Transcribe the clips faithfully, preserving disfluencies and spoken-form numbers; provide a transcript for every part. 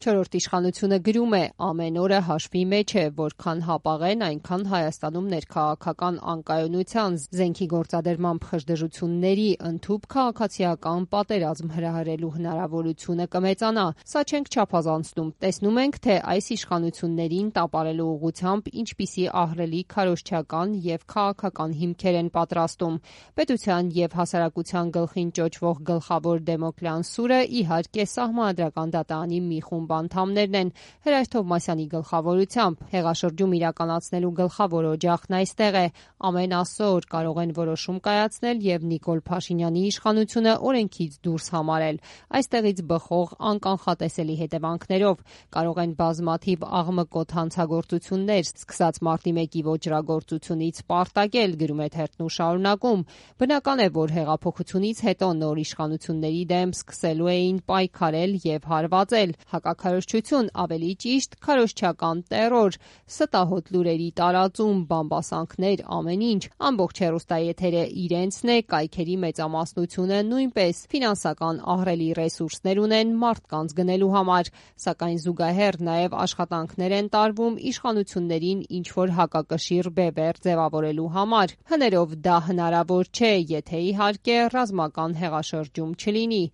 Չորրորդ իշխանությունը գրում է. ամեն օրը հաշվի մեջ է, որքան հապաղեն, այնքան Հայաստանում ներքաղաքական անկայունության, զենքի գործադրման խժդժությունների, ընդհուպ քաղաքացիական պատերազմ հրահրելու հնարավորությունը կմեծանա։ Սա չենք չափազանցնում։ Տեսնում ենք, թե այս իշխանություններին տապալելու ուղղությամբ ինչպիսի ահռելի քարոզչական եւ քաղաքական հիմքեր են պատրաստում։ Պետության եւ հասարակության գլխին ճոճվող գլխավոր Դեմոկլյան սուրը իհարկե Սահմանադրական դատարանի մի խումբ անդամներն են Հրաշ Թովմասյանի գլխավորությամբ։ Հեղաշրջում իրականացնելու գլխավոր օջախն այստեղ է։ Ամեն Աստծո օր կարող են որոշում կայացնել եւ Նիկոլ Փաշինյանի իշխանությունը օրենքից դուրս համարել, այստեղից բխող անկանխատեսելի հետևանքներով։ Կարող են բազմաթիվ աղմկոտ հանցագործություններ, սկսած մարտի մեկի ոճրագործությունից պարտակել, գրում է թերթն ու շարունակում։ Բնական է, որ հեղափոխությունից հետո նոր իշխանությունների դեմ սկսելու էին պայքարել եւ հարվածել։ Հակաքարոզչություն, ավելի ճիշտ քարոզչական տեռոր, ստահոդ լուրերի տարածում, բամբասանքներ, ամեն ինչ։ Ամբողջ հեռուստաեթերը իրենցն է, կայքերի մեծամասնությունը նույնպես ֆինանսական ահռելի ռեսուրսներ ունեն մարդկանց գնելու համար, սակայն զուգահեռ նաև աշխատանքներ են տարվում իշխանություններին ինչ-որ հակակշիռ բևեռ ձևավորելու համար։ Հներով դա հնարավոր չէ, եթե իհարկե ռազմական հեղաշրջում չլինի,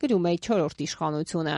գրում է չորրորդ իշխանությունը։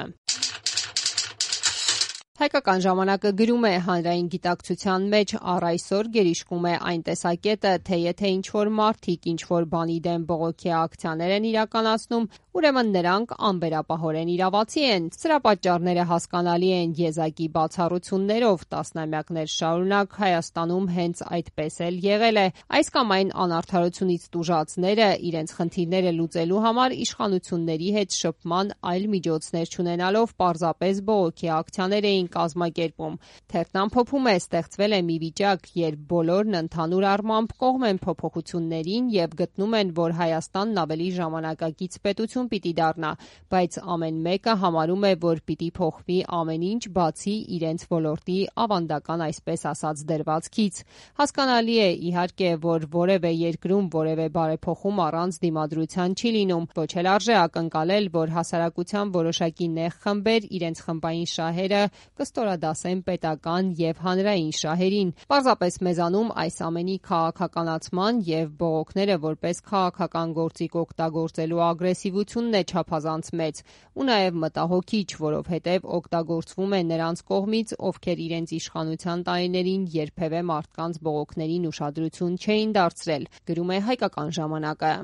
Հայկական ժամանակը գրում է. հանրային գիտակցության մեջ առ այսօր գերիշխում է այն տեսակետը, թե եթե ինչ-որ մարդիկ ինչ-որ բանի դեմ բողոքի ակցիաներ են իրականացնում, ուրեմն նրանք անվերապահորեն իրավացի են։ Սրա պատճառները հասկանալի են եզակի բացառություններով, տասնամյակներ շարունակ Հայաստանում հենց այդպես էլ եղել է։ Այս կամ այն անարդարությունից տուժածները իրենց խնդիրները լուծելու համար իշխանությունների հետ շփման այլ միջոցներ չունենալով պարզապես բողոքի ակցիաներ էին կազմակերպում։ Թերթն ամփոփում է. ստեղծվել է մի վիճակ, երբ բոլորն ընդհանուր առմամբ կողմ են փոփոխություններին եւ գտնում են, որ Հայաստանն ավելի ժամանակակից պետություն պիտի դառնա, բայց ամեն մեկը համարում է, որ պիտի փոխվի ամեն ինչ, բացի իրենց ոլորտի ավանդական այսպես ասած դրվածքից։ Հասկանալի է իհարկե, որ որևէ երկրում որևէ բարեփոխում առանց դիմադրության չի լինում, ոչ էլ արժե ակնկալել, որ հասարակության որոշակի նեղ խմբեր իրենց խմբային շահերը կստորադասեն պետական եւ հանրային շահերին։ Պարզապես մեզանում այս ամենի քաղաքականացման եւ բողոքները որպես քաղաքական գործիք օգտագործելու ագրեսիվությունն է չափազանց մեծ ու նաեւ մտահոգիչ, որովհետեւ օգտագործվում է նրանց կողմից, ովքեր իրենց իշխանության տարիներին երբևէ մարդկանց բողոքներին ուշադրություն չէին դարձրել, գրում է Հայկական ժամանակը։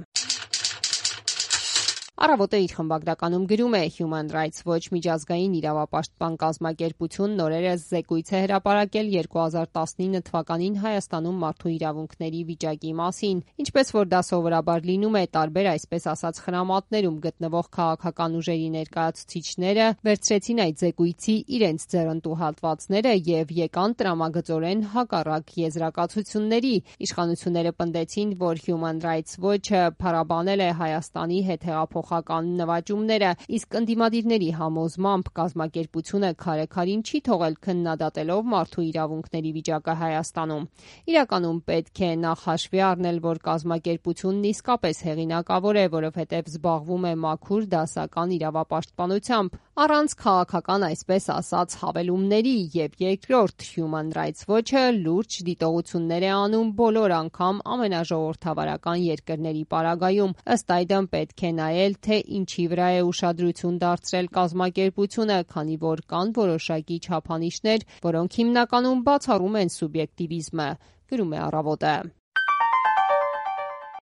Առավոտը իր խմբագրականում գրում է. Human Rights Watch միջազգային իրավապաշտպան կազմակերպությունն օրերս զեկույց է հրապարակել երկու հազար տասնինը թվականին Հայաստանում մարդու իրավունքների վիճակի մասին։ Ինչպես որ դա սովորաբար լինում է, տարբեր այսպես ասած խրամատներում գտնվող քաղաքական ուժերի ներկայացուցիչները վերցրեցին այդ զեկույցի իրենց ձեռնտու հատվածները եւ եկան տրամագծորեն հակառակ եզրակացությունների։ Իշխանությունները պնդեցին, որ Human Rights Watch-ը փառաբանել է Հայաստանի հետ հեղափոխ նվաճումները, իսկ ընդդիմադիրների համոզմամբ կազմակերպությունը քարեքարին չի թողել քննադատելով մարդու իրավունքների վիճակը Հայաստանում։ Իրականում պետք է նախ հաշվի առնել, որ կազմակերպությունն իսկապես հեղինակավոր է, որովհետև զբաղվում է մաքուր դասական իրավապաշտպանությամբ, առանց քաղաքական այսպես ասած հավելումների, եւ երկրորդ Human Rights Watch-ը լուրջ դիտողություններ է անում բոլոր անգամ ամենաժողովրդավարական երկրների պարագայում։ Ըստ այդմ պետք է նայել, թե ինչի վրա է ուշադրություն դարձրել կազմակերպությունը, քանի որ կան որոշակի չափանիշներ, որոնք հիմնականում բացառում են սուբյեկտիվիզմը, գրում է Առավոտը։